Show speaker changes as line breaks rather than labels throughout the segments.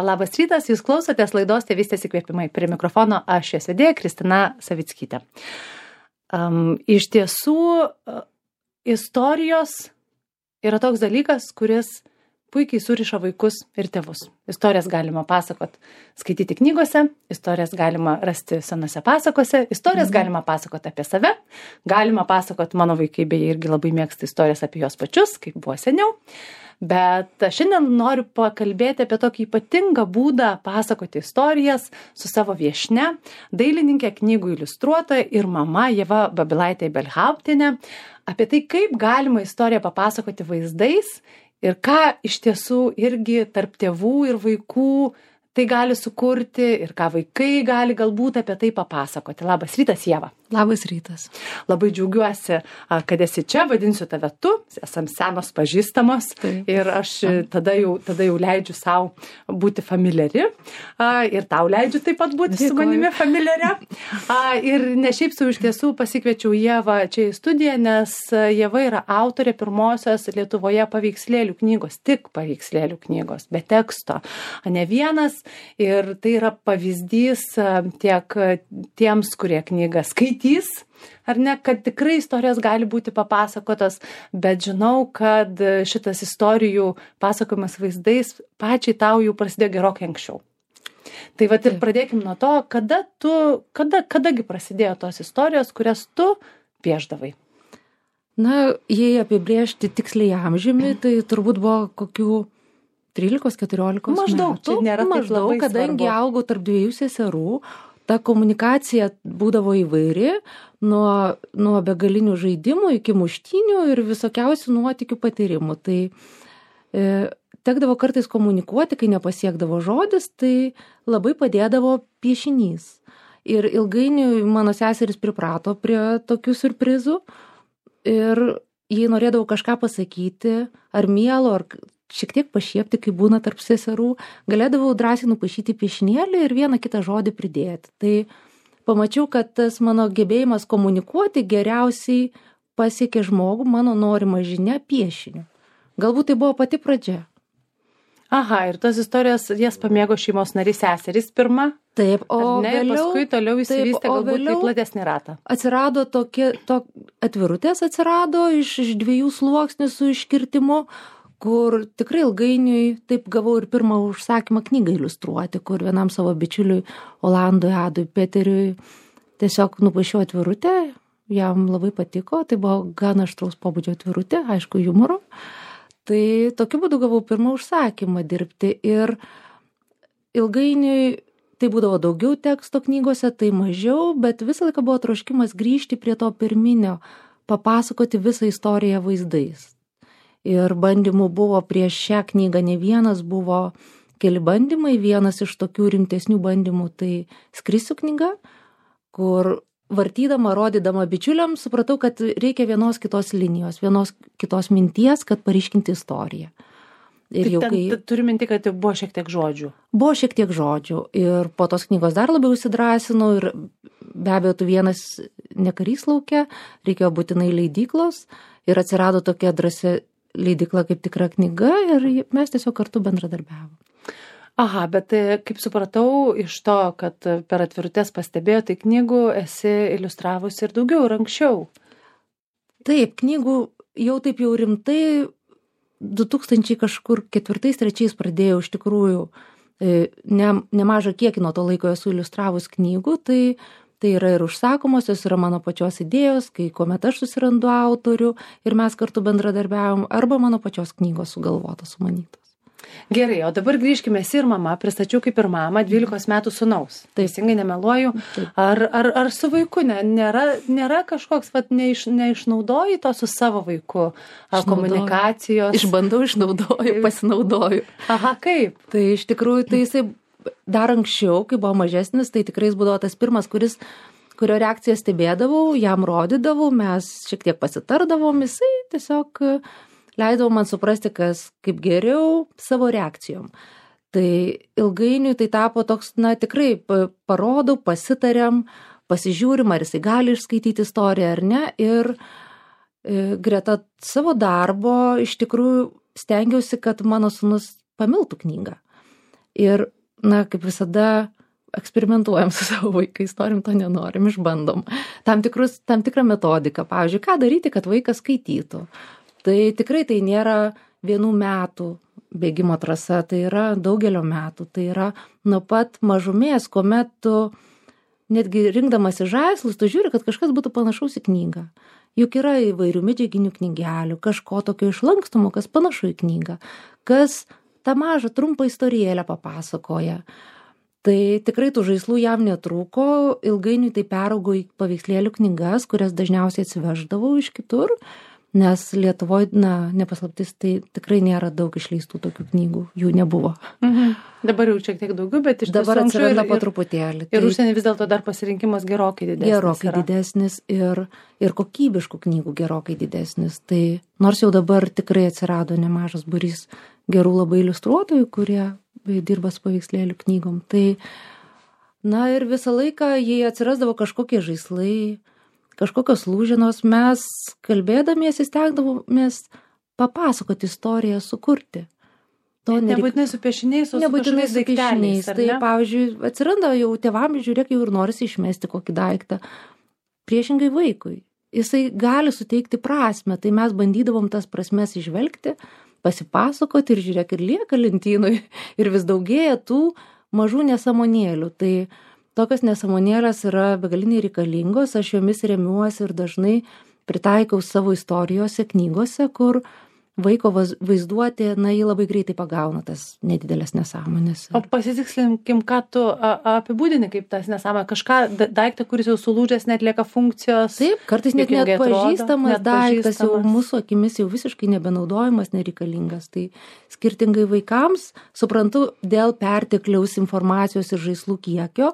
Labas rytas, jūs klausotės laidos Tėvystės įkvėpimai. Prie mikrofono aš jos vedėja Kristina Savickytė. Iš tiesų, istorijos yra toks dalykas, kuris puikiai suriša vaikus ir tėvus. Istorijas galima pasakot, skaityti knygose, istorijas galima rasti senose pasakose, istorijas galima pasakot apie save, galima pasakot, mano vaikai beje irgi labai mėgsta istorijas apie juos pačius, kaip buvo seniau. Bet šiandien noriu pakalbėti apie tokį ypatingą būdą pasakoti istorijas su savo viešnia, dailininkė, knygų iliustruotoja ir mama Ieva Babilaitė-Ibelhauptienė, apie tai, kaip galima istoriją papasakoti vaizdais ir ką iš tiesų irgi tarp tėvų ir vaikų tai gali sukurti ir ką vaikai gali galbūt apie tai papasakoti. Labas rytas, Ieva.
Labas rytas.
Labai džiaugiuosi, kad esi čia, vadinsiu tave tu, esam senos pažįstamos. Taip. Ir aš tada jau leidžiu savo būti familiari ir tau leidžiu taip pat būti su manimi familiaria. Ir ne šiaip sau iš tiesų pasikviečiau Ievą čia į studiją, nes Ieva yra autorė pirmosios Lietuvoje paveikslėlių knygos, tik paveikslėlių knygos, be teksto, ne vienas. Ir tai yra pavyzdys tiek tiems, kurie knygą skaitys, ar ne, kad tikrai istorijos gali būti papasakotos, bet žinau, kad šitas istorijų pasakojimas vaizdais pačiai tau jau prasidėjo gerokai anksčiau. Tai vat ir pradėkim nuo to, kadagi prasidėjo tos istorijos, kurias tu piešdavai.
Na, jei apibrėžti tiksliai amžiumi, tai turbūt buvo kokių 13-14 metų. Maždaug, kadangi augau tarp dviejų seserų, ta komunikacija būdavo įvairi, nuo begalinių žaidimų iki muštynių ir visokiausių nuotykių patyrimų. Tai tekdavo kartais komunikuoti, kai nepasiekdavo žodis, tai labai padėdavo piešinys. Ir ilgainiui mano seseris priprato prie tokių siurprizų ir jei norėdavo kažką pasakyti, ar mielo, ar šiek tiek pašiepti, kai būna tarp seserų, galėdavau drąsiai nupaišyti piešinėlį ir vieną kitą žodį pridėti. Tai pamačiau, kad tas mano gebėjimas komunikuoti geriausiai pasiekė žmogų, mano norima žinia piešiniu. Galbūt tai buvo pati pradžia.
Aha, ir tos istorijos jas pamėgo šeimos narys seserys pirma?
Taip, o vėliau,
paskui toliau įsivystė galbūt į platesnį ratą.
Atsirado atvirutės atsirado iš 2 sluoksnių su iškirtimu, kur tikrai ilgainiui taip gavau ir pirmą užsakymą knygą iliustruoti, kur vienam savo bičiuliui Olandui Adui Peteriui tiesiog nupaišiau atvirutę, jam labai patiko, tai buvo gan aštraus pobūdžio atvirutė, aišku, humoro. Tai tokiu būdu gavau pirmą užsakymą dirbti ir ilgainiui tai būdavo daugiau teksto knygose, tai mažiau, bet visą laiką buvo troškimas grįžti prie to pirminio, papasakoti visą istoriją vaizdais. Ir bandymų buvo prieš šią knygą ne vienas, buvo keli bandymai, vienas iš tokių rimtesnių bandymų tai Skrisiu knyga, kur vartydama, rodydama bičiuliams, supratau, kad reikia vienos kitos linijos, vienos kitos minties, kad paryškinti istoriją. Ir
jau kai... Turiu minti, kad buvo šiek tiek žodžių.
Buvo šiek tiek žodžių ir po tos knygos dar labiau įsidrasinau ir be abejo, tu vienas nekarys lauke, reikėjo būtinai leidyklos ir atsirado tokia drąsi leidykla kaip Tikra knyga ir mes tiesiog kartu bendradarbiavom.
Aha, bet kaip supratau iš to, kad per atvirutės pastebėjo, tai knygų esi iliustravusi ir daugiau ir anksčiau.
Taip, knygų jau taip jau rimtai 2004-2003 pradėjau iš tikrųjų nemažą kiekį nuo to laiko esu iliustravus knygų, tai yra ir užsakomosios, yra mano pačios idėjos, kai kuomet aš susirandu autorių ir mes kartu bendradarbiavom, arba mano pačios knygos sugalvotos, sumanytos.
Gerai, o dabar grįžkime, esi ir mama, pristačiau kaip ir mama 12 metų sūnaus. Teisingai nemeluoju. Ar su vaiku nėra kažkoks, neišnaudoji to su savo vaiku? Ar komunikacijos?
Išbandau, išnaudoju, pasinaudoju.
Aha, kaip?
Tai iš tikrųjų, tai jisai dar anksčiau, kai buvo mažesnis, tai tikrai jis būdavo tas pirmas, kurio reakciją stebėdavau, jam rodydavau, mes šiek tiek pasitardavom, jisai tiesiog leidau man suprasti, kas kaip geriau savo reakcijom. Tai ilgainiui tai tapo toks, tikrai parodau, pasitariam, pasižiūrim, ar jisai gali išskaityti istoriją ar ne. Ir greta savo darbo iš tikrųjų stengiausi, kad mano sūnus pamiltų knygą. Ir, kaip visada, eksperimentuojam su savo vaikais, norim to nenorim, išbandom. Tam tikrą metodiką, pavyzdžiui, ką daryti, kad vaikas skaitytų. Tai tikrai tai nėra 1 metų bėgimo trasa, tai yra daugelio metų, tai yra nuo pat mažumės, kuomet tu netgi rinkdamasi žaislus, tu žiūri, kad kažkas būtų panašaus į knygą. Juk yra įvairių medžiaginių knygelių, kažko tokio išlankstumo, kas panašu į knygą, kas tą mažą trumpą istorėlę papasakoja. Tai tikrai tų žaislų jam netrūko, ilgainiui tai peraugo į paveikslėlių knygas, kurias dažniausiai atsiveždavau iš kitur, nes Lietuvoje, nepaslaptis, tai tikrai nėra daug išleistų tokių knygų, jų nebuvo.
Dabar jau šiek tiek daugiau, bet iš tiesų
dabar atsiranda po truputėlį.
Ir užsienį vis dėlto dar pasirinkimas gerokai didesnis.
Gerokai didesnis ir kokybiškų knygų gerokai didesnis. Tai nors jau dabar tikrai atsirado nemažas būrys gerų labai iliustruotojų, kurie dirba su paveikslėlių knygom. Tai, ir visą laiką, jei atsirasdavo kažkokie žaislai, kažkokios lūžinos, mes kalbėdamiesi stengdavomės papasakoti istoriją, sukurti.
Nebūtinai su piešiniais, o su kažkokiais daikteliais.
Tai, pavyzdžiui, atsiranda jau tėvam, žiūrėk, jau ir norisi išmesti kokį daiktą. Priešingai vaikui. Jisai gali suteikti prasmę, tai mes bandydavom tas prasmes išvelgti, pasipasakoti ir žiūrėk, ir lieka lentynui. Ir vis daugėja tų mažų nesąmonėlių. Tai tokios nesąmonėlės yra begaliniai reikalingos, aš jomis remiuosi ir dažnai pritaikau savo istorijose, knygose, kur vaiko vaizduotė, jį labai greitai pagauna tas nedidelės nesąmonės.
O pasitikslinkim, ką tu apibūdini kaip tas nesąmonė, kažką daiktą, kuris jau sulūžęs, neatlieka funkcijos.
Taip, kartais net pažįstamas daiktas, jau mūsų akimis jau visiškai nebenaudojamas, nereikalingas. Tai skirtingai vaikams, suprantu, dėl pertekliaus informacijos ir žaislų kiekio,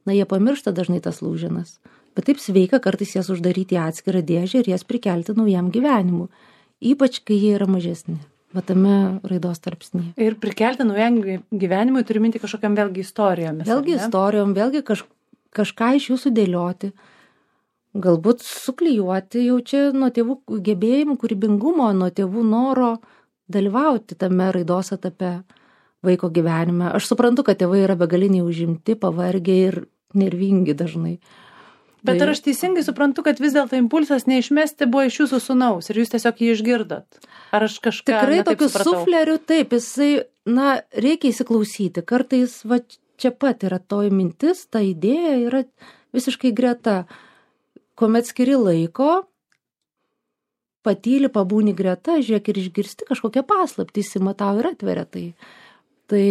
jie pamiršta dažnai tas lūženas. Bet taip sveika kartais jas uždaryti į atskirą dėžę ir jas prikelti naujam gyvenimui. Ypač, kai jie yra mažesni, tame raidos tarpsnyje.
Ir prikelti naujam gyvenimui turi minti kažkokiam vėlgi istorijomis.
Vėlgi istorijom, vėlgi kažką iš jų sudėlioti, galbūt suklijuoti jau čia nuo tėvų gebėjimų, kūrybingumo, nuo tėvų noro dalyvauti tame raidos etape vaiko gyvenime. Aš suprantu, kad tėvai yra begaliniai užimti, pavargę ir nervingi dažnai.
Bet ar aš teisingai suprantu, kad vis dėlto impulsas neišmesti buvo iš jūsų sūnaus ir jūs tiesiog jį išgirdot? Ar aš kažką
tikrai tokiu sufleriu, taip, jisai, reikia įsiklausyti. Kartais, čia pat yra toji mintis, ta idėja yra visiškai greta. Kuomet skiri laiko, patyli, pabūni greta, žiūrėk ir išgirsti kažkokią paslaptį, įsimatau ir atveria tai. Tai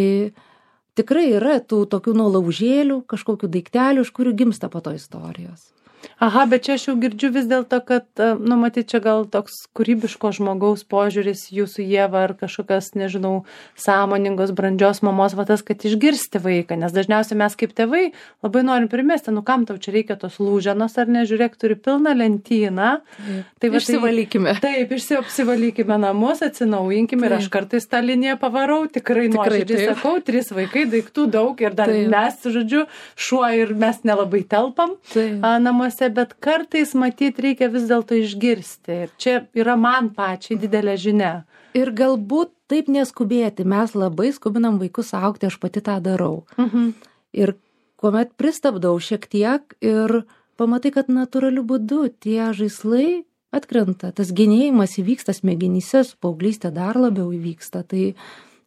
tikrai yra tų tokių nuolaužėlių, kažkokių daiktelių, iš kurių gimsta po to istorijos.
Aha, bet čia aš jau girdžiu vis dėlto, kad, matyt, čia gal toks kūrybiško žmogaus požiūris jūsų Ieva ar kažkokios, nežinau, sąmoningos, brandžios mamos, tas, kad išgirsti vaiką, nes dažniausiai mes kaip tėvai labai norim primesti, kam tau čia reikia tos lūženos, ar ne, žiūrėk, turi pilną lentyną.
Tai išsivalykime.
Taip, apsivalykime namus, atsinaujinkime ir aš kartais tą liniją pavarau, tikrai nuoširdžiai sakau, 3 vaikai, daiktų daug ir dar mes, žodžiu, šuo ir mes nelabai telpam namuose. Bet kartais, matyt, reikia vis dėlto išgirsti. Ir čia yra man pačiai didelė žinia.
Ir galbūt taip neskubėti. Mes labai skubinam vaikus augti, aš pati tą darau. Ir kuomet pristabdau šiek tiek ir pamatai, kad natūraliu būdu tie žaislai atkrenta. Tas genėjimas įvyksta smegenyse, su paauglystė dar labiau įvyksta. Tai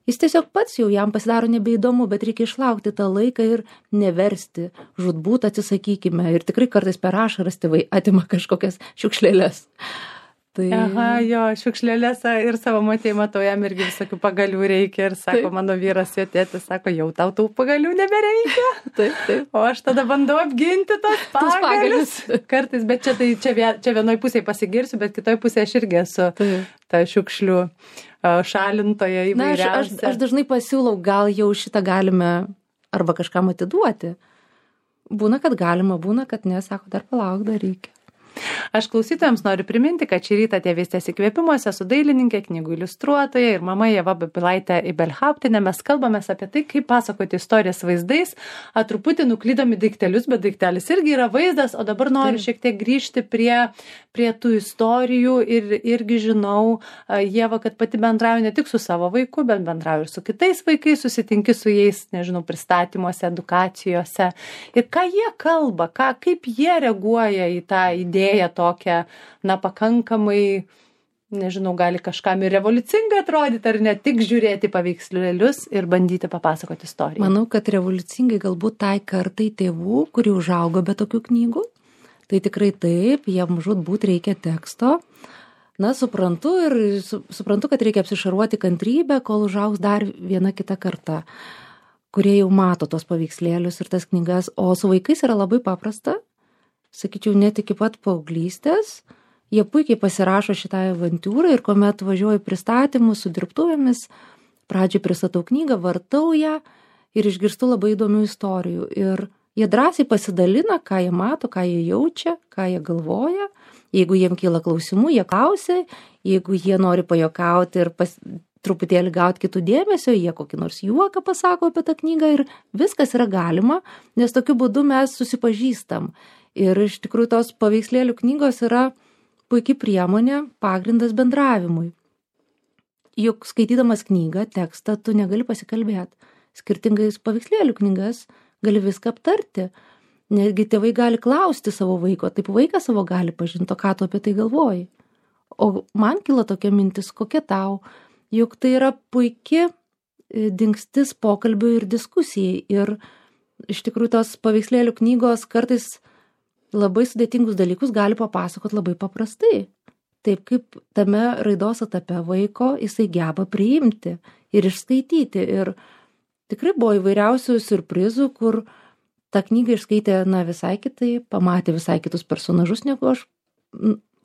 jis tiesiog pats jau jam pasidaro nebeįdomu, bet reikia išlaukti tą laiką ir neversti, žūtbūt atsisakykime. Ir tikrai kartais per ašaras tėvai atima kažkokias šiukšlėlės. Tai...
Aha, jo, šiukšlėlės ir savo matei matau, jam irgi visokių pagalių reikia ir sako, mano vyras, jo tėtis, sako, jau tau tų pagalių nebereikia.
Taip.
O aš tada bandau apginti tos pagalius. Kartais, bet čia vienoj pusėje pasigirsiu, bet kitoj pusėje aš irgi esu ta šiukšlių šalintoje įvairiausia.
Aš dažnai pasiūlau, gal jau šitą galime arba kažkam atiduoti. Būna, kad galima, būna, kad ne, sako, dar palauk, dar reikia.
Aš klausytojams noriu priminti, kad šį rytą Tėvystės įkvėpimuose su dailininkė, knygų iliustruotoja ir mama Ieva Babilaitė Ibelhauptienė mes kalbamės apie tai, kaip pasakoti istorijas vaizdais, truputį nuklydami daiktelius, bet daiktelis irgi yra vaizdas, o dabar noriu šiek tiek grįžti prie tų istorijų ir irgi žinau, Ieva, kad pati bendrauju ne tik su savo vaiku, bet bendrauju ir su kitais vaikais, susitinki su jais, nežinau, pristatymuose, edukacijose ir ką jie kalba, kaip jie reaguoja į tą idėją tokią, pakankamai, nežinau, gali kažkam ir revoliucingai atrodyti, ar ne tik žiūrėti paveikslėlius ir bandyti papasakoti istoriją.
Manau, kad revoliucingai galbūt tai kartai tėvų, kurie užaugo be tokių knygų, tai tikrai taip, jiem žūtbūt reikia teksto. Suprantu kad reikia apsišaruoti kantrybę, kol užaugs dar viena kita karta, kurie jau mato tos paveikslėlius ir tas knygas, o su vaikais yra labai paprasta. Sakyčiau, net iki pat paauglystės, jie puikiai pasirašo šitą avantūrą ir kuomet važiuoju pristatymus su dirbtuvėmis, pradžiai pristatau knygą, vartau ją ir išgirstu labai įdomių istorijų. Ir jie drąsiai pasidalina, ką jie mato, ką jie jaučia, ką jie galvoja. Jeigu jiem kyla klausimų, jie klausia, jeigu jie nori pajokauti ir truputėlį gauti kitų dėmesio, jie kokį nors juoką pasako apie tą knygą ir viskas yra galima, nes tokiu būdu mes susipažįstam. Ir iš tikrųjų tos paveikslėlių knygos yra puikiai priemonė, pagrindas bendravimui. Juk skaitydamas knygą, tekstą, tu negali pasikalbėti. Skirtingais paveikslėlių knygas gali viską aptarti. Netgi tėvai gali klausti savo vaiko, taip vaikas savo gali pažinti, ką tu apie tai galvoji. O man kilo tokia mintis, kokia tau, juk tai yra puikia dingstis pokalbių ir diskusijai. Ir iš tikrųjų tos paveikslėlių knygos kartais labai sudėtingus dalykus gali papasakoti labai paprastai. Taip kaip tame raidos etape vaiko jisai geba priimti ir išskaityti. Ir tikrai buvo įvairiausių siurprizų, kur tą knygą išskaitė visai kitai, pamatė visai kitus personažus, negu aš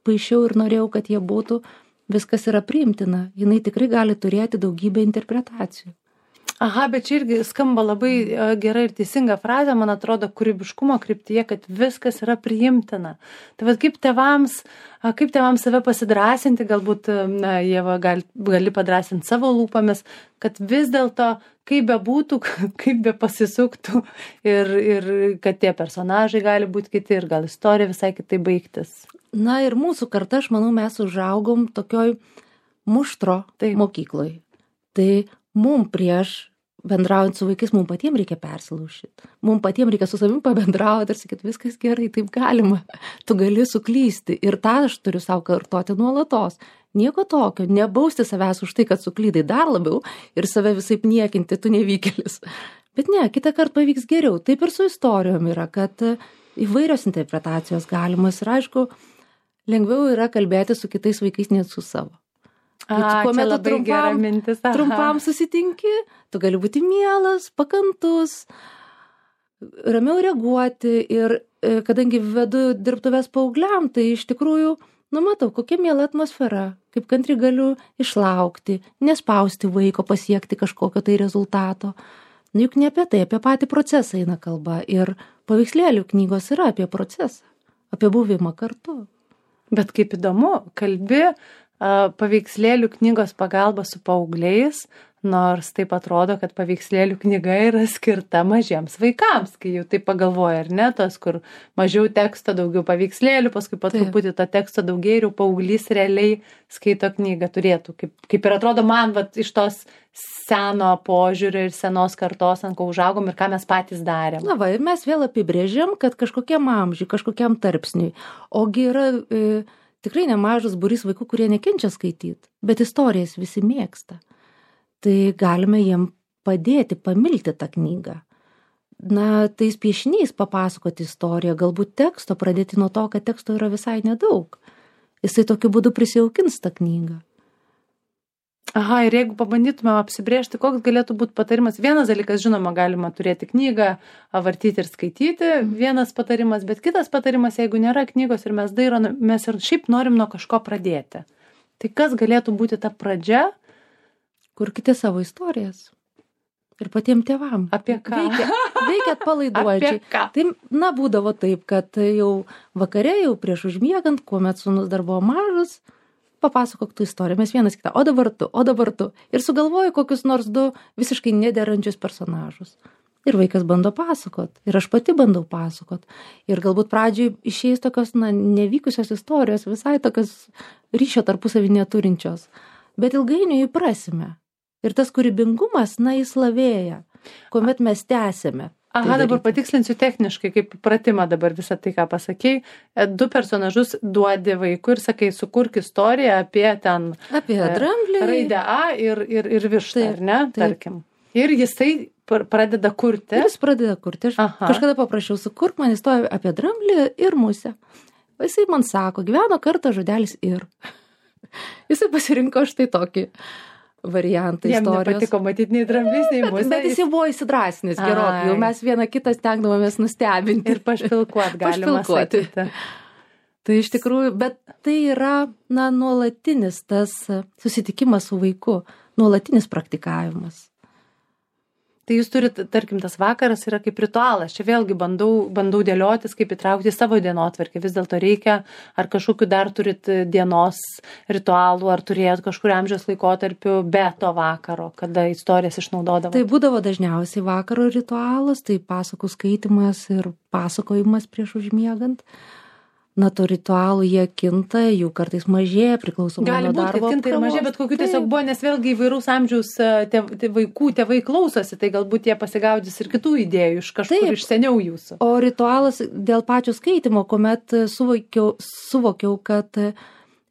paišiau ir norėjau, kad jie būtų. Viskas yra priimtina. Jinai tikrai gali turėti daugybę interpretacijų.
Aha, bet čia irgi skamba labai gera ir teisinga frazė, man atrodo, kūrybiškumo kryptyje, kad viskas yra priimtina. Tai vat kaip tėvams save pasidrasinti, galbūt, Ieva, gali padrasinti savo lūpomis, kad vis dėlto, kaip bebūtų, kaip be pasisuktų ir kad tie personažai gali būti kiti ir gal istorija visai kitai baigtis.
Ir mūsų karta, aš manau, mes užaugom tokioj muštro mokykloj. Tai mum prieš bendraujant su vaikais, mum patiems reikia persilaužyti. Mum patiems reikia su savim pabendrauti ir sakyti, viskas gerai, taip galima. Tu gali suklysti. Ir tą aš turiu savo kartoti nuolatos. Nieko tokio, nebausti savęs už tai, kad suklydai dar labiau ir save visaip niekinti, tu nevykėlis. Bet ne, kitą kartą pavyks geriau. Taip ir su istorijom yra, kad įvairios interpretacijos galimos ir aišku, lengviau yra kalbėti su kitais vaikais, net su savo.
Kuomet tu
trumpam susitinki, tu gali būti mielas, pakantus, ramiau reaguoti ir kadangi vedu dirbtuves paaugliam, tai iš tikrųjų, matau, kokia miela atmosfera, kaip kantri galiu išlaukti, nespausti vaiko pasiekti kažkokio tai rezultato. Juk ne apie tai, apie patį procesą eina kalba ir paveikslėlių knygos yra apie procesą, apie buvimą kartu.
Bet kaip įdomu, kalbi paveikslėlių knygos pagalba su paaugliais, nors taip atrodo, kad paveikslėlių knyga yra skirta mažiems vaikams, kai jau taip pagalvoja, ar ne, tos, kur mažiau teksto, daugiau paveikslėlių, paskui po truputį to teksto daugiau ir paauglys realiai skaito knygą turėtų. Kaip ir atrodo man, iš tos seno požiūrio ir senos kartos, ant ko užaugom ir ką mes patys darėm.
Ir mes vėl apibrėžiam, kad kažkokiam amžiui, kažkokiam tarpsniui, ogi yra tikrai nemažas būrys vaikų, kurie nekenčia skaityti, bet istorijas visi mėgsta. Tai galime jiem padėti pamilti tą knygą. Tais piešiniais papasakoti istoriją, galbūt teksto, pradėti nuo to, kad teksto yra visai nedaug. Jisai tokiu būdu prisijaukins tą knygą.
Aha, ir jeigu pabandytume apsibrėžti, koks galėtų būti patarimas. Vienas dalykas, žinoma, galima turėti knygą, vartyti ir skaityti, vienas patarimas, bet kitas patarimas, jeigu nėra knygos ir mes dairomės ir šiaip norim nuo kažko pradėti. Tai kas galėtų būti ta pradžia?
Kurkite savo istorijas. Ir patiems tėvam.
Apie ką?
Veikia atpalaiduojančiai.
Apie ką?
Tai, būdavo taip, kad jau vakare, jau prieš užmiegant, kuomet sūnus dar buvo mažas, papasakok tu istoriją, mes vienas kitą, o dabar tu. Ir sugalvoju kokius nors 2 visiškai nederančius personažus. Ir vaikas bando pasakot. Ir aš pati bandau pasakot. Ir galbūt pradžiai išeis tokios, nevykusios istorijos, visai tokios ryšio tarpusavį neturinčios. Bet ilgainiui įprasime. Ir tas kūrybingumas, jis lavėja, kuomet mes tęsėme.
Aha, dabar patikslinsiu techniškai, kaip pratimą dabar visą tai, ką pasakei. 2 personažus duodi vaikui ir sakai, sukurk istoriją apie
dramblį,
raidę A ir vištą, ar ne, tarkim. Ir jisai pradeda kurti.
Ir jis pradeda kurti. Aš kažkada paprašiau, sukurk man istoriją apie dramblį ir musę. Jisai man sako, gyveno kartą žodelis ir. Jisai pasirinko štai tokį variantą istorijos.
Jam nepatiko matyti nei dramblys, nei musė.
Bet jis jau buvo įsidrasnis gerokai. Jau mes vieną kitą stengdavomės nustebinti.
Ir pašpilkuot galima sakyti.
Tai iš tikrųjų, bet tai yra, nuolatinis tas susitikimas su vaiku, nuolatinis praktikavimas.
Tai jūs turite, tarkim, tas vakaras yra kaip ritualas. Čia vėlgi bandau dėliotis, kaip įtraukti savo dienotvarkę. Vis dėlto reikia, ar kažkokiu dar turit dienos ritualų, ar turėjot kažkur amžiaus laikotarpiu be to vakaro, kada istorijas išnaudodavo.
Tai būdavo dažniausiai vakaro ritualas, tai pasakų skaitimas ir pasakojimas prieš užmiegant. To ritualų jie kinta, jų kartais mažėja, priklausomai nuo darbo.
Gali būti, kinta ir mažėja, bet kokių tiesiog buvo, nes vėlgi įvairaus amžiaus tėvai klausosi, tai galbūt jie pasigaudys ir kitų idėjų iš kažkur iš seniau jūsų.
O ritualas dėl pačio skaitimo, kuomet suvokiau, kad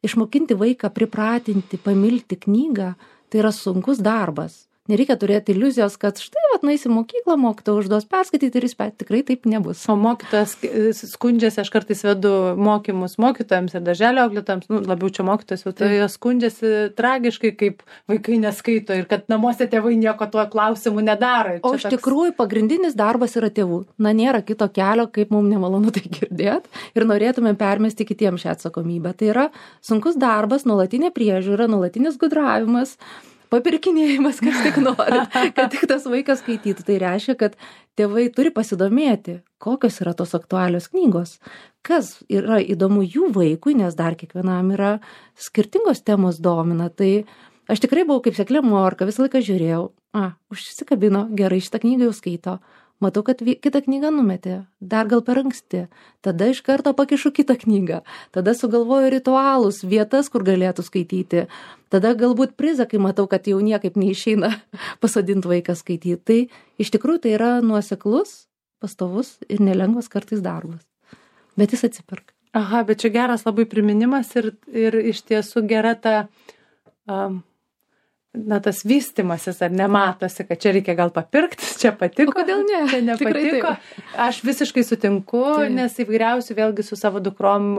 išmokinti vaiką, pripratinti, pamilti knygą, tai yra sunkus darbas. Nereikia turėti iliuzijos, kad štai, nueisi mokyklą, mokytojas užduos perskaityti ir jis tikrai taip nebus.
O mokytojas skundžiasi, aš kartais vedu mokymus mokytojams ir darželio auklėtojams, labiau čia mokytojas, tai jos skundžiasi tragiškai, kaip vaikai neskaito ir kad namuose tėvai nieko tuo klausimu nedaro.
O iš tikrųjų pagrindinis darbas yra tėvų. Nėra kito kelio, kaip mums nemalonu tai girdėti ir norėtume permesti kitiems šią atsakomybę. Tai yra sunkus darbas, nuolatinė priežiūra, nuolatinis gudravimas, papirkinėjimas, kas tik nori, kad tik tas vaikas skaitytų. Tai reiškia, kad tėvai turi pasidomėti, kokios yra tos aktualios knygos, kas yra įdomu jų vaikui, nes dar kiekvienam yra skirtingos temos domina. Tai aš tikrai buvau kaip seklė morka, visą laiką žiūrėjau, užsikabino, gerai, šitą knygą jau skaito. Matau, kad kitą knygą numetė, dar gal per anksti. Tada iš karto pakišu kitą knygą. Tada sugalvoju ritualus, vietas, kur galėtų skaityti. Tada galbūt prizą, kai matau, kad jau niekaip neišeina pasodinti vaiką skaityti. Tai iš tikrųjų tai yra nuoseklus, pastovus ir nelengvas kartais darbas. Bet jis atsiperka.
Aha, bet čia geras labai priminimas ir iš tiesų gera ta... tas vystimasis, ar nematosi, kad čia reikia gal papirkti, čia patiko.
O kodėl ne?
Čia nepatiko. Aš visiškai sutinku, nes įvairiausių, vėlgi su savo dukrom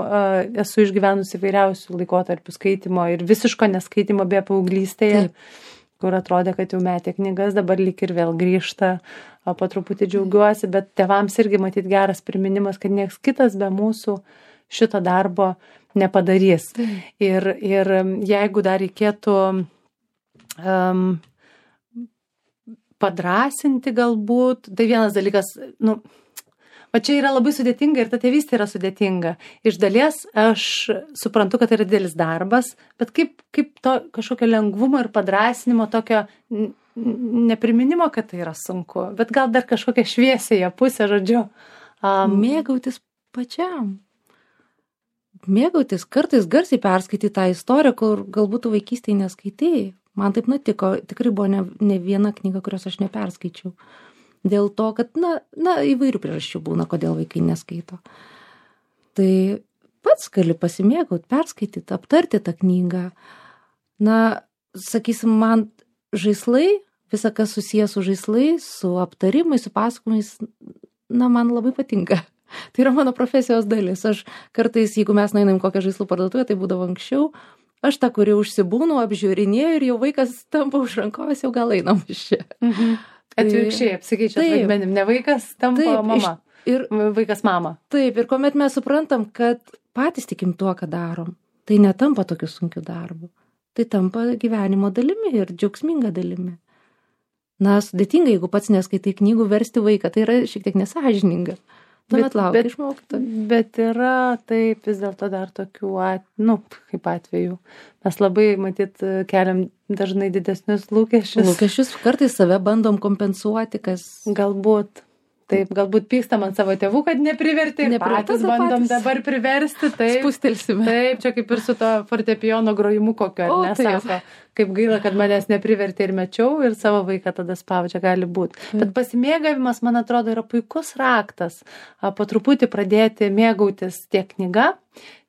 esu išgyvenusi įvairiausių laikotarpių skaitimo ir visiško neskaitimo be paauglystėje, kur atrodė, kad jau metė knygas, dabar lyg ir vėl grįžta, o po truputį džiaugiuosi, bet tėvams irgi matyt geras priminimas, kad nieks kitas be mūsų šito darbo nepadarys. Ir jeigu dar reikėtų padrasinti galbūt, tai vienas dalykas, o čia yra labai sudėtinga ir ta tėvystė yra sudėtinga. Iš dalies aš suprantu, kad tai yra didelis darbas, bet kaip to kažkokio lengvumo ir padrasinimo, tokio nepriminimo, kad tai yra sunku, bet gal dar kažkokią šviesėje pusę, žodžiu.
Mėgautis pačiam. Mėgautis, kartais garsiai perskaityti tą istoriją, kur galbūt vaikystėje neskaitėjai. Man taip nutiko, tikrai buvo ne viena knyga, kurios aš neperskaičiau. Dėl to, kad, įvairių priežasčių būna, kodėl vaikai neskaito. Tai pats gali pasimėgauti, perskaityti, aptarti tą knygą. Sakysim, man žaislai, visa kas susijęs su žaislais, su aptarimais, su pasakojimais, man labai patinka. Tai yra mano profesijos dalis. Aš kartais, jeigu mes nueinam kokią žaislų parduotuvę, tai būdavo anksčiau, aš tą, kuri užsibūnu, apžiūrinėjau ir jau vaikas tampa už rankovės, jau gal einam iš čia.
Atvirkščiai, apsikeičia vaidmenim, ne vaikas tampa mama. Ir vaikas mama.
Taip, ir kuomet mes suprantam, kad patys tikim tuo, ką darom, tai netampa tokiu sunkiu darbu. Tai tampa gyvenimo dalimi ir džiaugsminga dalimi. sudėtinga, jeigu pats neskaitai knygų, versti vaiką, tai yra šiek tiek nesąžininga. Tuomet laukia iš mokytojų.
Bet yra taip vis dėlto dar tokių, kaip atvejų. Mes labai, matyt, keliam dažnai didesnius lūkesčius.
Kartais save bandom kompensuoti, kas...
Galbūt. Taip, galbūt pykstam ant savo tėvų, kad nepriverti, patys bandom dabar priversti. Taip,
spustelsime.
Taip, čia kaip ir su to fortepijono grojimu kokio, ar ne, sako, kaip gaila, kad manęs nepriverti ir mečiau ir savo vaiką tada spaudžia, gali būti. Bet pasimėgavimas, man atrodo, yra puikus raktas. Po truputį pradėti mėgautis tiek knyga,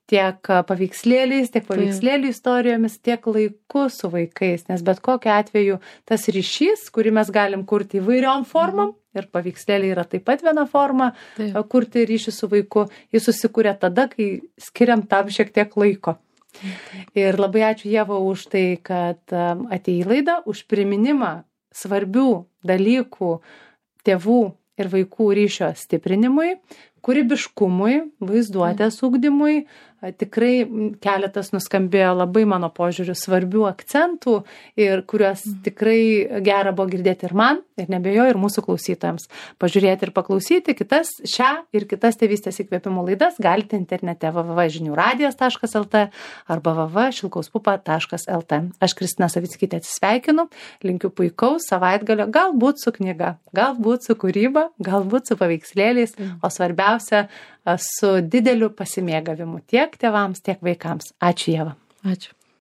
tiek paveikslėliais, tiek paveikslėlių istorijomis, tiek laiku su vaikais, nes bet kokiu atveju tas ryšys, kurį mes galim kurti įvairiom formom, ir paveikslėliai yra taip pat viena forma, kurti ryšį su vaiku, jis susikūrė tada, kai skiriam tam šiek tiek laiko. Ir labai ačiū Ieva už tai, kad atėjai į laidą, už priminimą svarbių dalykų tėvų ir vaikų ryšio stiprinimui, kūrybiškumui, vaizduotės ugdymui. Tikrai keletas nuskambėjo labai mano požiūriu svarbių akcentų ir kuriuos tikrai gera buvo girdėti ir man, ir nebejoju, ir mūsų klausytojams. Pažiūrėti ir paklausyti šią ir kitas tėvystės įkvėpimo laidas galite internete www.žiniuradijas.lt arba www.šilkauspupa.lt. Aš Kristina Savickytė atsisveikinu, linkiu puikaus savaitgalio, galbūt su knyga, galbūt su kūryba, galbūt su paveikslėliais, o svarbiausia su dideliu pasimėgavimu tiek tėvams, tiek vaikams. Ačiū Ieva.
Ačiū.